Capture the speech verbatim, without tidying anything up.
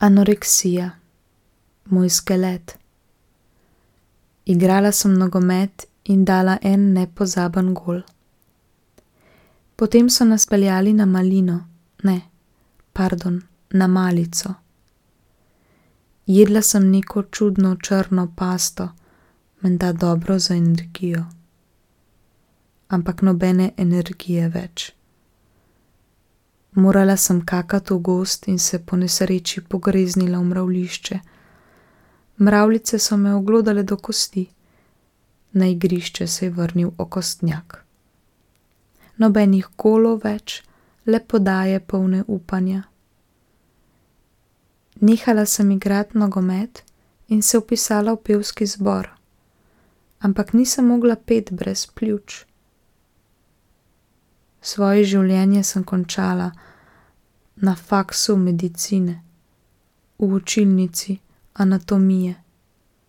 Anoreksija. Moj skelet. Igrala sem nogomet in dala en nepozaben gol. Potem so nas peljali na Malino, ne, pardon, na malico. Jedla sem neko čudno črno pasto, menda dobro za energijo. Ampak nobene energije več. Morala sem kakati v gozd in se po nesreči pogreznila v mravljišče. Mravljice so me oglodale do kosti. Na igrišče se je vrnil okostnjak. Nobenih golov več, le podaje polne upanja. Nehala sem igrati nogomet in se vpisala v pevski zbor. Ampak nisem mogla peti brez pljuč. Svoje življenje sem končala na faksu medicine, v učilnici anatomije.